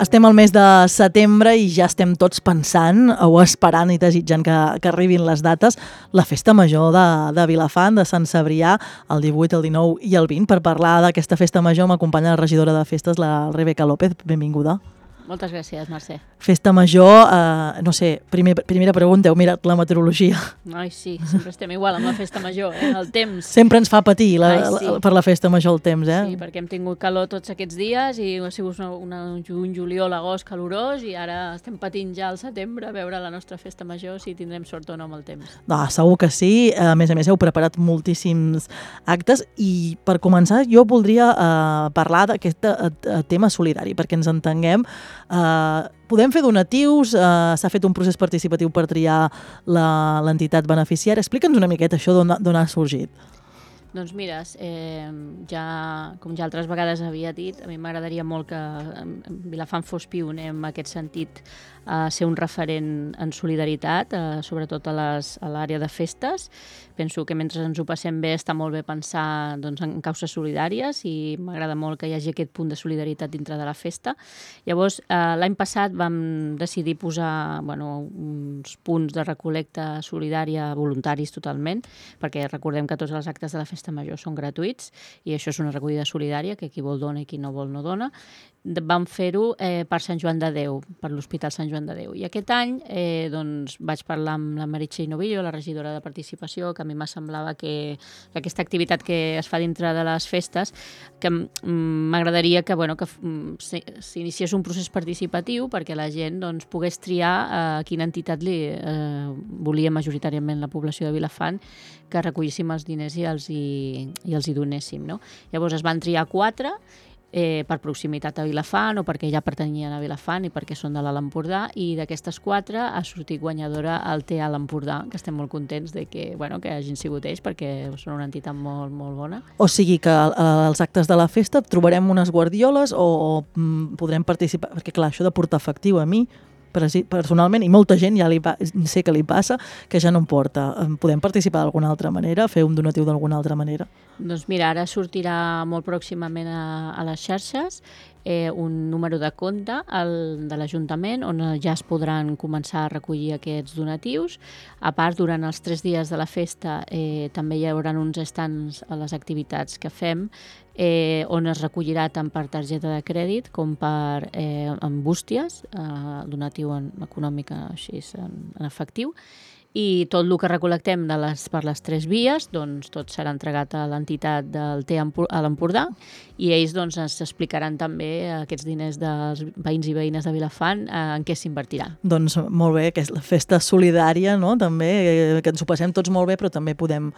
Estem al mes de setembre i ja estem tots pensant o esperant i desitjant que arribin les dates. La Festa Major de Vilafant, de Sant Cebrià, el 18, el 19 i el 20. Per parlar d'aquesta Festa Major m'acompanya la regidora de Festes, la Rebeca López. Benvinguda. Moltes gràcies, Mercè. Festa Major, no sé, primera pregunta, heu mirat la meteorologia? Ai, sí, sempre estem igual amb la Festa Major, el temps. Sempre ens fa patir per la Festa Major el temps, Sí, perquè hem tingut calor tots aquests dies i ha sigut un juny, juliol, agost calorós i ara estem patint ja al setembre a veure la nostra Festa Major si tindrem sort o no amb el temps. Segur que sí, a més heu preparat moltíssims actes i per començar jo voldria parlar d'aquest tema solidari, perquè ens entenguem. Podem fer donatius, s'ha fet un procés participatiu per triar l'entitat beneficiària. Explica'ns una miqueta això d'on ha sorgit. Doncs mira, com ja altres vegades havia dit, a mi m'agradaria molt que Vilafant fos pioner en aquest sentit, a ser un referent en solidaritat, sobretot a l'àrea de festes. Penso que mentre ens ho passem bé està molt bé pensar en causes solidàries i m'agrada molt que hi hagi aquest punt de solidaritat dintre de la festa. Llavors, l'any passat vam decidir posar uns punts de recol·lecta solidària voluntaris totalment, perquè recordem que tots els actes de la Festa Major són gratuïts i això és una recollida solidària, que qui vol dona i qui no vol no dona. Vam fer-ho per Sant Joan de Déu, per l'Hospital Sant Joan de Déu. I aquest any vaig parlar amb la Meritxell Novillo, la regidora de Participació, que a mi m'ha semblava que aquesta activitat que es fa dintre de les festes, que m'agradaria que s'iniciés un procés participatiu perquè la gent pogués triar a quina entitat volia majoritàriament la població de Vilafant que recollíssim els diners i els hi donéssim. Llavors es van triar 4 per proximitat a Vilafant o perquè ja pertanyien a Vilafant i perquè són de l'Alt Empordà, i d'aquestes 4 ha sortit guanyadora el TEA Alt Empordà, que estem molt contents de que hagin sigut ells perquè són una entitat molt, molt bona. O sigui que als actes de la festa trobarem unes guardioles o podrem participar, perquè clar, això de portar efectiu a mi personalment, i molta gent ja sé que li passa, que ja no em porta. Podem participar d'alguna altra manera, fer un donatiu d'alguna altra manera? Doncs mira, ara sortirà molt pròximament a les xarxes un número de compte de l'Ajuntament on ja es podran començar a recollir aquests donatius. A part, durant els 3 dies de la festa també hi haurà uns stands a les activitats que fem on es recollirà tant per targeta de crèdit com per en bústies, donatiu econòmic així en efectiu. I tot el que recol·lectem per les 3 vies, tot serà entregat a l'entitat del TEA a l'Empordà i ells ens explicaran també aquests diners dels veïns i veïnes de Vilafant en què s'invertiran. Doncs molt bé, que és la festa solidària, no? També, que ens ho passem tots molt bé, però també podem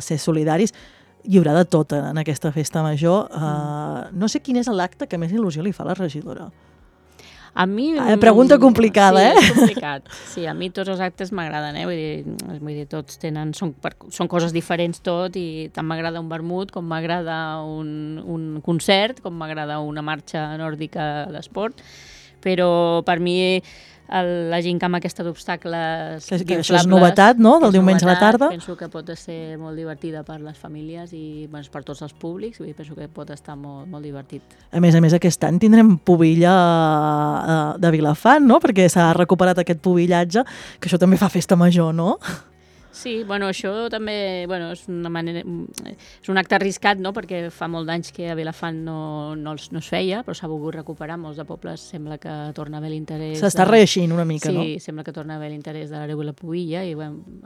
ser solidaris. Hi haurà de tot en aquesta festa major. No sé quin és l'acte que més il·lusió li fa a la regidora. A mi... Pregunta complicada, Sí, és complicat. Sí, a mi tots els actes m'agraden, Vull dir, tots són coses diferents tot, i tant m'agrada un vermut com m'agrada un concert, com m'agrada una marxa nòrdica d'esport, però per mi la gincama aquesta d'obstacles inflables... Això és novetat, no?, del diumenge a la tarda. Penso que pot ser molt divertida per les famílies i per tots els públics, i penso que pot estar molt, molt divertit. A més, aquest any tindrem pubilla de Vilafant, no?, perquè s'ha recuperat aquest pubillatge, que això també fa festa major, no? Sí, això també és una manera, és un acte arriscat, no?, perquè fa molt d'anys que a Vilafant no es feia, però s'ha volgut recuperar. Molts de pobles sembla que torna a haver l'interès... S'està reeixint una mica, no? Sí, sembla que torna a haver l'interès de l'hereu i la pubilla, i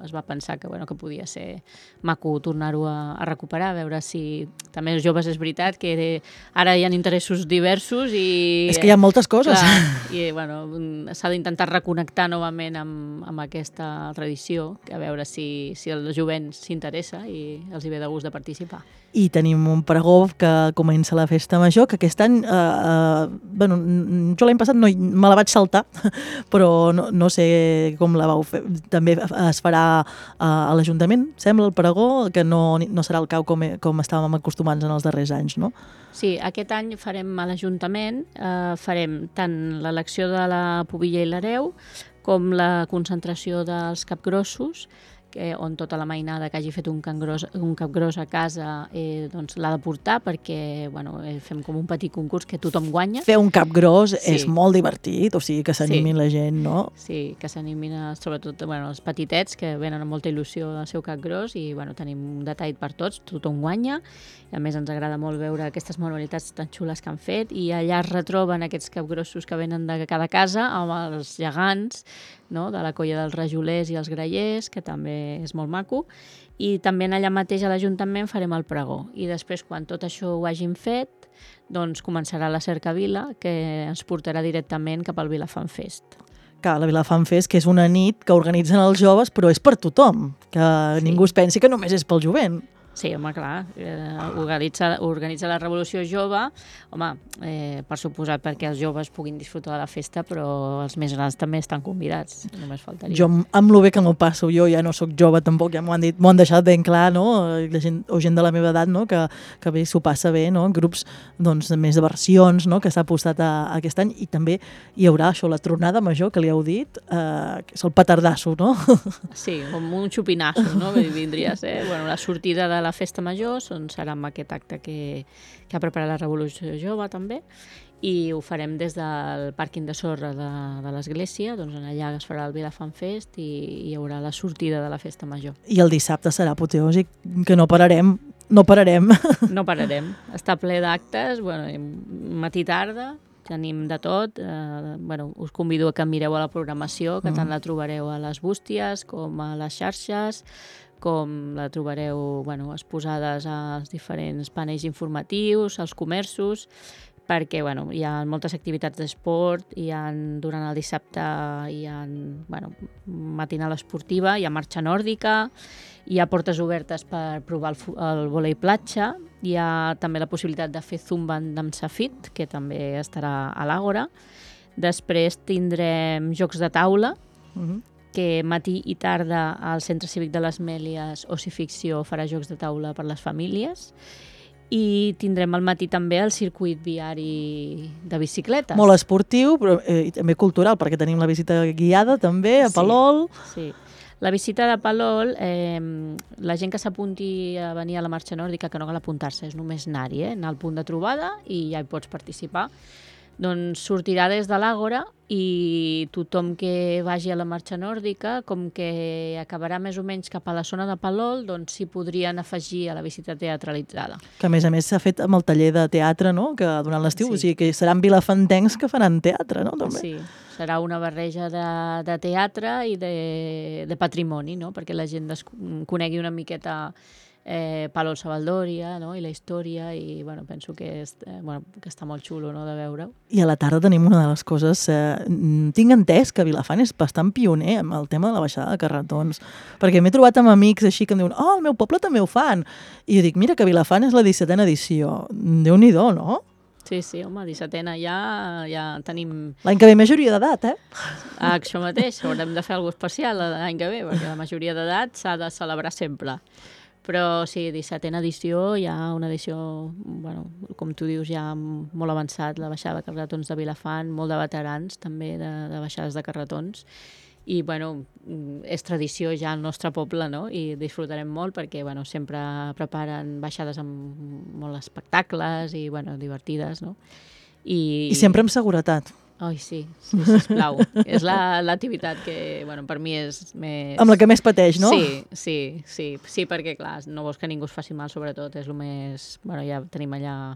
es va pensar que podia ser maco tornar-ho a recuperar, a veure si també els joves, és veritat que ara hi ha interessos diversos i... És que hi ha moltes coses. Clar, i s'ha d'intentar reconnectar novament amb aquesta tradició, a veure si el jovent s'interessa i els hi ve de gust de participar. I tenim un pregó que comença la festa major, que aquest any, jo l'any passat me la vaig saltar, però no sé com la vau fer. També es farà a l'Ajuntament, sembla, el pregó, que no serà el cau com estàvem acostumats en els darrers anys, no? Sí, aquest any farem a l'Ajuntament, farem tant l'elecció de la pubilla i l'hereu com la concentració dels capgrossos, on tota la mainada que hagi fet un capgròs a casa doncs l'ha de portar perquè fem com un petit concurs que tothom guanya. Fer un capgròs és molt divertit, o sigui que s'animin la gent, no? Sí, que s'animin sobretot els petitets que venen amb molta il·lusió al seu capgròs i tenim un detall per tots, tothom guanya i a més ens agrada molt veure aquestes manualitats tan xules que han fet i allà es retroben aquests capgrossos que venen de cada casa amb els gegants, no? De la colla dels rajolers i els grallers, que també és molt maco, i també allà mateix a l'Ajuntament farem el pregó. I després, quan tot això ho hagin fet, doncs començarà la cercavila, que ens portarà directament cap al Vilafant Fest. Que la Vilafant Fest, que és una nit que organitzen els joves, però és per tothom, que ningú es pensi que només és pel jovent. Sí, home, clar, organitza la Revolució Jove, home, per suposat perquè els joves puguin disfrutar de la festa, però els més grans també estan convidats, només faltaria. Jo, amb lo bé que m'ho passo, jo ja no sóc jove tampoc, ja m'ho han deixat ben clar, no? O gent de la meva edat, no? Que bé s'ho passa bé, no? Grups més de versions, no? Que s'ha apostat aquest any, i també hi haurà això, la tronada major, que li heu dit, que és el petardasso, no? Sí, com un xupinasso, no? Vindria a ser, la sortida de la festa major serà amb aquest acte que ha preparat la Revolució Jove també, i ho farem des del pàrquing de sorra de l'església, doncs allà es farà el Vilafant Fest i hi haurà la sortida de la festa major. I el dissabte serà apoteòsic, que no pararem. No pararem. No pararem. Està ple d'actes, matí tarda, tenim de tot. Us convido a que mireu a la programació, que tant la trobareu a les bústies com a les xarxes, com la trobareu exposades als diferents panells informatius, als comerços, perquè hi ha moltes activitats d'esport, durant el dissabte hi ha matinal esportiva, hi ha marxa nòrdica, hi ha portes obertes per provar el vòlei platja, hi ha també la possibilitat de fer zumba amb Safit, que també estarà a l'Àgora. Després tindrem jocs de taula, que matí i tarda al Centre Cívic de les Mèlies Ocificció farà jocs de taula per les famílies, i tindrem al matí també el circuit viari de bicicletes. Molt esportiu, però també cultural, perquè tenim la visita guiada també a Palol. Sí. La visita de Palol, la gent que s'apunti a venir a la marxa nòrdica, que no cal apuntar-se, és només anar-hi, anar al punt de trobada i ja hi pots participar. Doncs sortirà des de l'Àgora i tothom que vagi a la marxa nòrdica, com que acabarà més o menys cap a la zona de Palol, doncs s'hi podrien afegir a la visita teatralitzada. Que a més s'ha fet amb el taller de teatre, no?, que durant l'estiu, o sigui que seran vilafantencs que faran teatre, no?, també. Sí, serà una barreja de teatre i de patrimoni, no?, perquè la gent conegui una miqueta Palol Sabaldòria, no?, i la història, i penso que està molt xulo, no?, de veure-ho. I a la tarda tenim una de les coses, tinc entès que Vilafant és bastant pioner amb el tema de la baixada de carretons, perquè m'he trobat amb amics així que em diuen, al meu poble també ho fan, i jo dic, mira que Vilafant és la 17a edició, Déu-n'hi-do, no? Sí, home, 17a ja tenim... L'any que ve majoria d'edat, Això mateix, haurem de fer alguna cosa especial l'any que ve, perquè la majoria d'edat s'ha de celebrar sempre. Però sí, 17a edició, hi ha una edició, com tu dius, ja molt avançat, la baixada de carretons de Vilafant, molt de veterans també de baixades de carretons, i és tradició ja al nostre poble, no?, i disfrutarem molt perquè sempre preparen baixades amb molts espectacles i divertides, no? I sempre amb seguretat. Ai, sí, sisplau. És l'activitat que, per mi és més... Amb la que més pateix, no? Sí, perquè, clar, no vols que ningú es faci mal, sobretot, és el més... ja tenim allà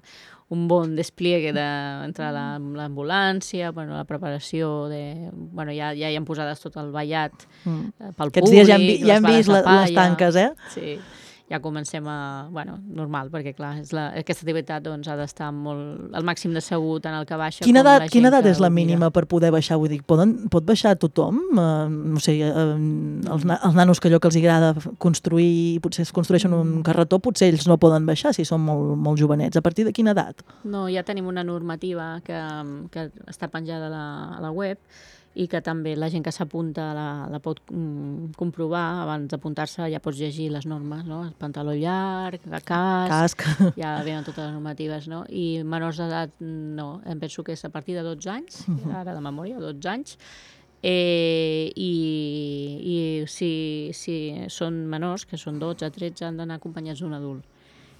un bon despliegue entre l'ambulància, la preparació de... ja hi han posades tot el ballat pel públic. Aquests dies ja hem vist les tanques, Sí. Ja comencem normal, perquè clar, aquesta activitat ha d'estar al màxim de segur tant el que baixa com la gent que... Quina edat és la mínima per poder baixar? Vull dir, pot baixar tothom? No sé, els nanos que allò que els agrada construir, potser es construeixen un carretó, potser ells no poden baixar si són molt jovenets. A partir de quina edat? No, ja tenim una normativa que està penjada a la web, i que també la gent que s'apunta la pot comprovar. Abans d'apuntar-se ja pots llegir les normes, no? El pantaló llarg, el casc, ja venen totes les normatives, no? I menors d'edat no, em penso que és a partir de 12 anys, ara de memòria, 12 anys, I si són menors, que són 12, 13, han d'anar acompanyats d'un adult.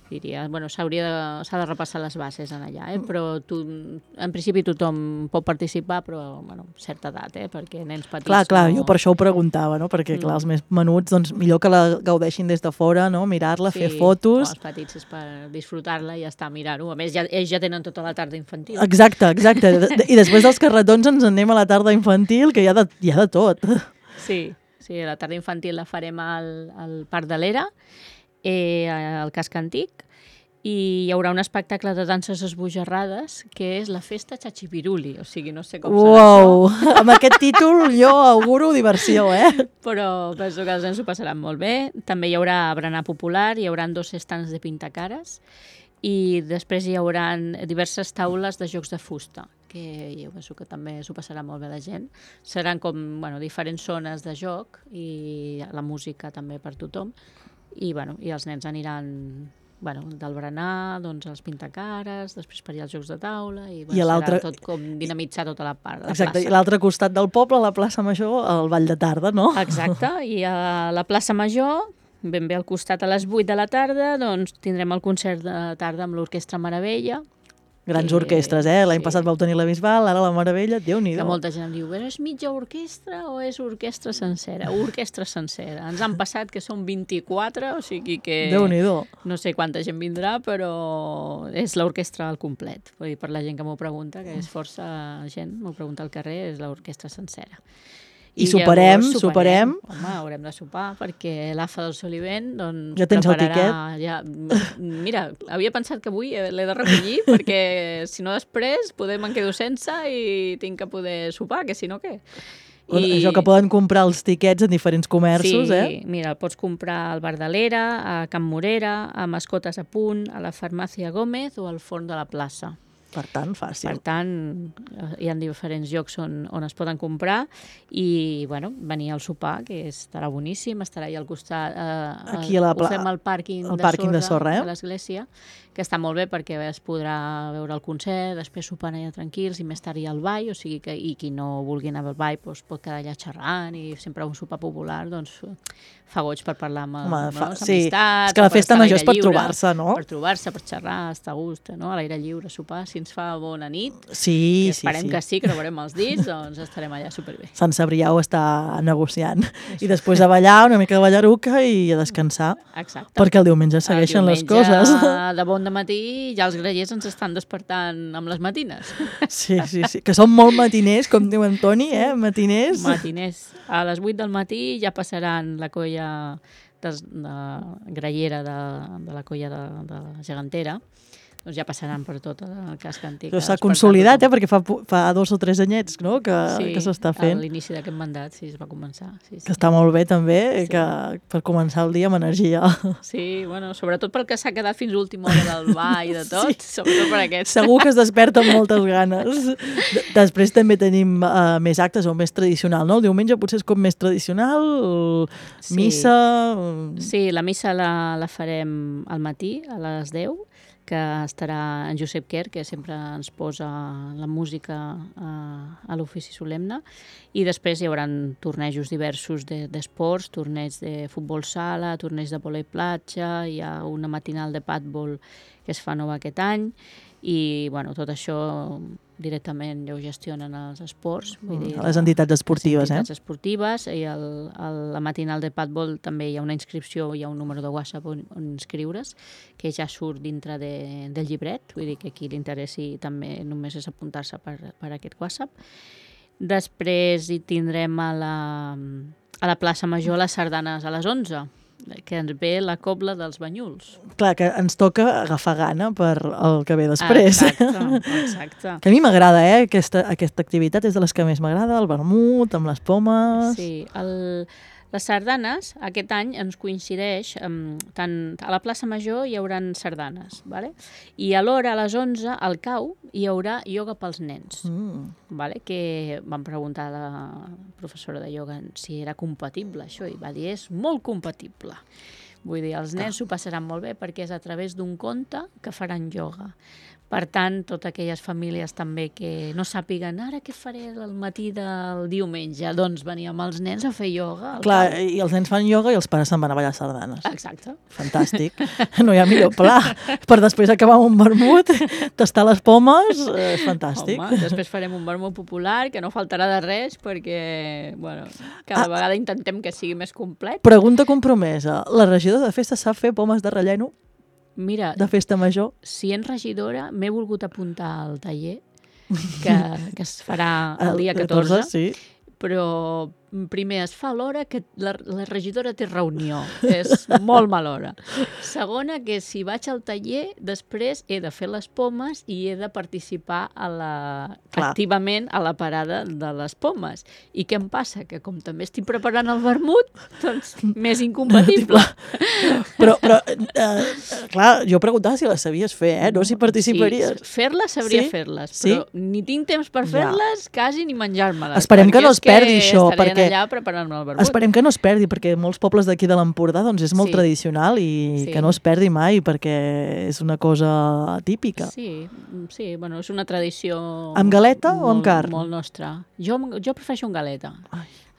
Diria, bueno, s'ha de repassar les bases en allà, però en principi tothom pot participar, però, bueno, certa edat, perquè nens petits... Clar, jo per això ho preguntava, no? Perquè, clar, els més menuts, doncs, millor que la gaudeixin des de fora, no? Mirar-la, fer fotos... Els petits és per disfrutar-la i ja està, mirar-ho. A més, ells ja tenen tota la tarda infantil. Exacte. I després dels carretons ens anem a la tarda infantil, que hi ha de tot. Sí, la tarda infantil la farem al Parc de l'Era, al casc antic, i hi haurà un espectacle de danses esbojarrades que és la festa Chachipiruli, o sigui, no sé com serà això. Amb aquest títol jo auguro diversió, Però penso que els nens ho passaran molt bé. També hi haurà berenar popular, hi haurà 2 estands de pintacares i després hi haurà diverses taules de jocs de fusta, que jo penso que també s'ho passarà molt bé la gent. Seran com diferents zones de joc i la música també per tothom. I els nens aniran del berenar, doncs els pintacares, després per allà els jocs de taula, i serà tot com dinamitzar tota la part de la plaça. Exacte, i l'altre costat del poble, a la plaça Major, el ball de tarda, no? Exacte, i a la plaça Major, ben bé al costat a les 8 de la tarda, doncs tindrem el concert de tarda amb l'Orquestra Meravella. Grans orquestres, L'any passat vau tenir la Bisbal, ara la Meravella, Déu-n'hi-do. Que molta gent em diu, és mitja orquestra o és orquestra sencera? Orquestra sencera. Ens han passat que són 24, o sigui que... Déu-n'hi-do. No sé quanta gent vindrà, però és l'orquestra al complet. Vull dir, per la gent que m'ho pregunta, que és força gent, m'ho pregunta al carrer, és l'orquestra sencera. I soparem. Home, haurem de sopar, perquè l'AFA del Solivent doncs, ja tens prepararà... el tiquet? Mira, havia pensat que avui l'he de recollir, perquè si no després me'n quedo sense i tinc que poder sopar, que si no què? Això que poden comprar els tiquets en diferents comerços, Sí, mira, el pots comprar al Bar de l'Era, a Can Morera, a Mascotes a Punt, a la Farmàcia Gómez o al Forn de la Plaça. Per tant, fàcil. Per tant, hi ha diferents llocs on es poden comprar i, venir al sopar, que estarà boníssim, estarà allà al costat. Aquí ho fem al pàrquing de sorra de l'església, que està molt bé perquè es podrà veure el concert, després sopar allà tranquils i més tard hi ha el ball, o sigui que qui no vulgui anar al ball pot quedar allà xerrant i sempre un sopar popular, doncs fa goig per parlar amb amistats. Sí, és que la festa major és per trobar-se, no? Per trobar-se, per xerrar, estar a gust, no? A l'aire lliure, sopar, si ens fa bona nit. Sí, esperem que sí, que no veurem els dits, doncs estarem allà superbé. Sant Cebrià ho està negociant. I després a ballar, una mica de ballaruca i a descansar. Exacte. Perquè el diumenge segueixen les coses. De bon matí ja els grallers ens estan despertant amb les matines. Sí, que són molt matiners, com diu en Toni, matiners. Matiners. A les 8 del matí ja passaran la colla de grallera de la colla de la gegantera, doncs ja passaran per tot el casc antic. S'ha consolidat, perquè fa 2 o 3 anyets, no?, que s'està fent. Sí, a l'inici d'aquest mandat, sí, es va començar. Sí. Que està molt bé, també, que per començar el dia amb energia. Sí, sobretot pel que s'ha quedat fins a l'última hora del ball i de tot, sobretot per aquest. Segur que es desperta amb moltes ganes. Després també tenim més actes o més tradicional, no? El diumenge potser és com més tradicional, missa... Sí, la missa la farem al matí, a les 10, que estarà en Josep Quer, que sempre ens posa la música a l'ofici solemne, i després hi haurà tornejos diversos d'esports, torneig de futbol sala, torneig de vòlei platja, hi ha una matinal de padbol que es fa nova aquest any, i tot això directament ja ho gestionen els esports. Les entitats esportives, Les entitats esportives, i a la matinal de padbol també hi ha una inscripció, hi ha un número de WhatsApp on inscriure's, que ja surt dintre del llibret, vull dir que qui li interessi també només és apuntar-se per aquest WhatsApp. Després hi tindrem a la plaça Major les sardanes a les 11, que ens ve la cobla dels Banyuls. Clar, que ens toca agafar gana per el que ve després. Exacte. Que a mi m'agrada, aquesta activitat és de les que més m'agrada, el vermut, amb les pomes... Sí, les sardanes, aquest any ens coincideix, tant a la plaça Major hi haurà sardanes, ¿vale? I alhora a les 11 al CAU hi haurà ioga pels nens, ¿vale? Que vam preguntar a la professora de ioga si era compatible això, i va dir és molt compatible. Vull dir, els nens s'ho passaran molt bé perquè és a través d'un conte que faran ioga. Per tant, totes aquelles famílies també que no sàpiguen ara què faré al matí del diumenge, doncs venir amb els nens a fer ioga. Clar, i els nens fan ioga i els pares se'n van a ballar sardanes. Exacte. Fantàstic. No hi ha millor pla. Per després acabar amb un vermut, tastar les pomes, és fantàstic. Home, després farem un vermut popular que no faltarà de res perquè, bueno, cada vegada intentem que sigui més complet. Pregunta compromesa. La regidora de festa sap fer pomes de relleno? Mira, de festa major? Si ets regidora, m'he volgut apuntar al taller que es farà el dia 14, sí. Però primer es fa a l'hora que la regidora té reunió. És molt mala hora. Segona, que si vaig al taller, després he de fer les pomes i he de participar activament a la parada de les pomes. I què em passa? Que com també estic preparant el vermut, doncs més incompatible. Però clar, jo preguntava si les sabies fer, no si participaries. Sí, fer-les sabria fer-les, però ni tinc temps per fer-les, quasi ni menjar-me-les. Esperem que no es perdi això, perquè allà preparant el vermut. Esperem que no es perdi, perquè molts pobles d'aquí de l'Empordà doncs és molt tradicional i que no es perdi mai, perquè és una cosa típica. Sí, bueno, és una tradició... Amb galeta o amb carn? Molt nostra. Jo prefereixo amb galeta.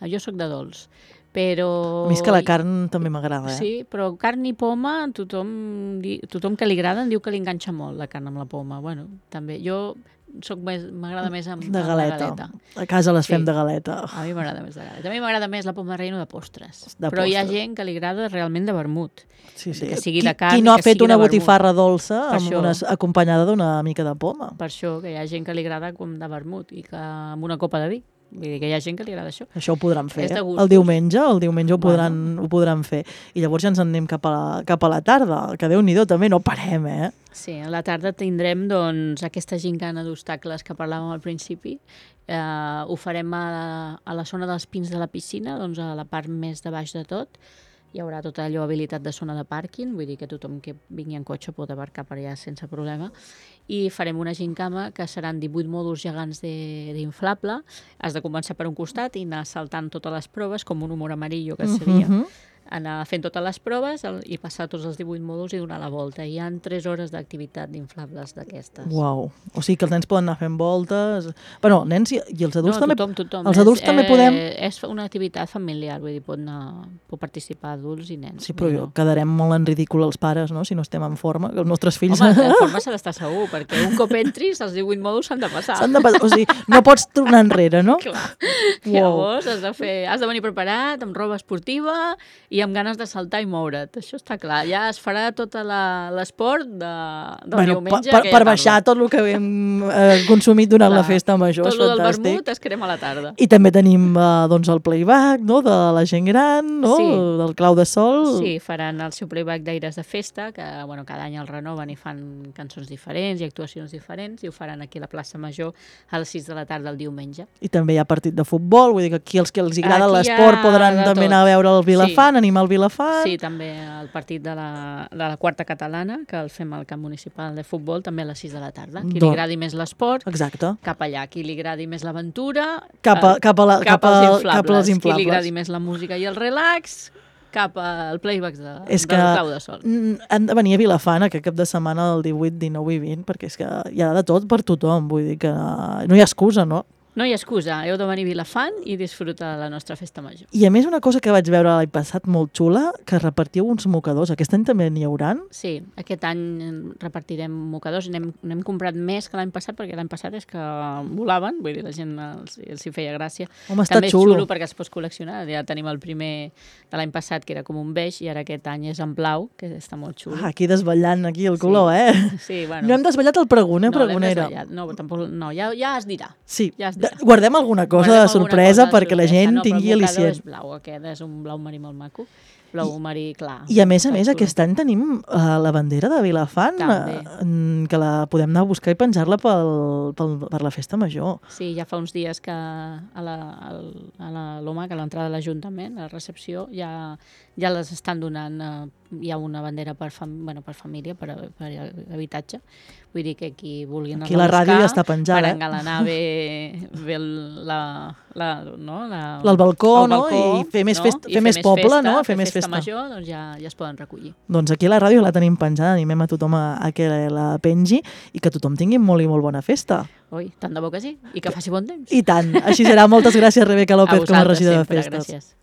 Jo sóc de dolç. Però... A mi és que la carn també m'agrada, Sí, però carn i poma, tothom que li agrada em diu que li enganxa molt la carn amb la poma. Bueno, també. Jo m'agrada més amb de galeta. La galeta. A casa les fem de galeta. A mi m'agrada més de galeta. A mi m'agrada més la poma de relleno de postres. Però hi ha gent que li agrada realment de vermut. Sí. Que sigui de carn, qui no ha fet una vermut. Botifarra dolça acompanyada d'una mica de poma? Per això, que hi ha gent que li agrada com de vermut i que amb una copa de vi. Vull dir que hi ha gent que li agrada això. Això ho podran fer. El diumenge ho podran fer. I llavors ja ens en anem cap a la tarda, que Déu-n'hi-do també, no parem, Sí, a la tarda tindrem doncs, aquesta gincana d'obstacles que parlàvem al principi. Ho farem a la zona dels pins de la piscina, doncs a la part més de baix de tot. Hi haurà tota allò habilitat de zona de pàrquing, vull dir que tothom que vingui en cotxe pot aparcar per allà sense problema. I farem una gincama que seran 18 mòduls gegants d'inflable. Has de començar per un costat i anar saltant totes les proves, com un humor amarillo que seria. Anar fent totes les proves i passar tots els 18 mòduls i donar la volta. Hi ha 3 hores d'activitat d'inflables d'aquestes. Uau! O sigui que els nens poden anar fent voltes... Bueno, nens i els adults també... Tothom. Els adults també podem... És una activitat familiar, vull dir, pot participar adults i nens. Sí, però quedarem molt en ridícul els pares, no?, si no estem en forma, que els nostres fills... Home, en forma s'ha d'estar segur, perquè un cop entris, els 18 mòduls s'han de passar. O sigui, no pots tornar enrere, no? Clar. Llavors has de venir preparat, amb roba esportiva i amb ganes de saltar i moure't. Això està clar. Ja es farà tot l'esport del diumenge. Per baixar tot el que hem consumit durant la festa major. Tot el del vermut es crema a la tarda. I també tenim el playback, no?, de la gent gran, no?, del Clau de Sol. Sí, faran el seu playback d'Aires de Festa, que cada any el renoven i fan cançons diferents i actuacions diferents, i ho faran aquí a la plaça Major a les 6 de la tarda el diumenge. I també hi ha partit de futbol, vull dir que aquí els que els agrada l'esport podran també anar a veure el Vilafant, animar el Vilafant. Sí, també el partit de la quarta catalana, que el fem al camp municipal de futbol, també a les 6 de la tarda. Qui li agradi més l'esport, cap allà. Qui li agradi més l'aventura, cap als inflables. Qui li agradi més la música i el relax, cap al playback del Clau de Sol. Han de venir a Vilafant aquest cap de setmana del 18, 19 i 20, perquè és que hi ha de tot per tothom, vull dir que no hi ha excusa, no? No hi ha excusa, heu de venir a Vilafant i disfrutar de la nostra festa major. I a més una cosa que vaig veure l'any passat molt xula, que repartíeu uns mocadors. Aquest any també n'hi hauran? Sí, aquest any repartirem mocadors. N'hem comprat més que l'any passat, perquè l'any passat és que volaven, vull dir, la gent els hi feia gràcia. Home, està també xulo. És xulo perquè es pot col·leccionar. Ja tenim el primer de l'any passat, que era com un beix, i ara aquest any és en blau, que està molt xulo. Aquí desvetllant aquí el color, Sí, bueno. No hem desvetllat el pregoner, pregonera. No, tampoc, ja es dirà. Sí, guardem alguna cosa de sorpresa perquè la gent tingui al·licient. És blau, aquest és un blau marí molt maco. Blau marí clar. I a més, aquest any tenim la bandera de Vilafant, que la podem anar a buscar i penjar-la per la festa major. Sí, ja fa uns dies que a l'OMAC, a l'entrada de l'Ajuntament, a la recepció, ja les estan donant. Hi ha una bandera per família, per habitatge. Vull dir que qui vulgui anar a buscar, la ràdio ja està penjada, per engalanar bé la al balcó, no? I fer més poble, no? Fer més festa major, doncs ja es poden recollir. Doncs aquí a la ràdio la tenim penjada, animem a tothom a que la pengi i que tothom tingui molt i molt bona festa. Ui, tant de bo que sí, i que faci bon temps. I tant, així serà. Moltes gràcies, Rebeca López, com a regidora de festes. Gràcies.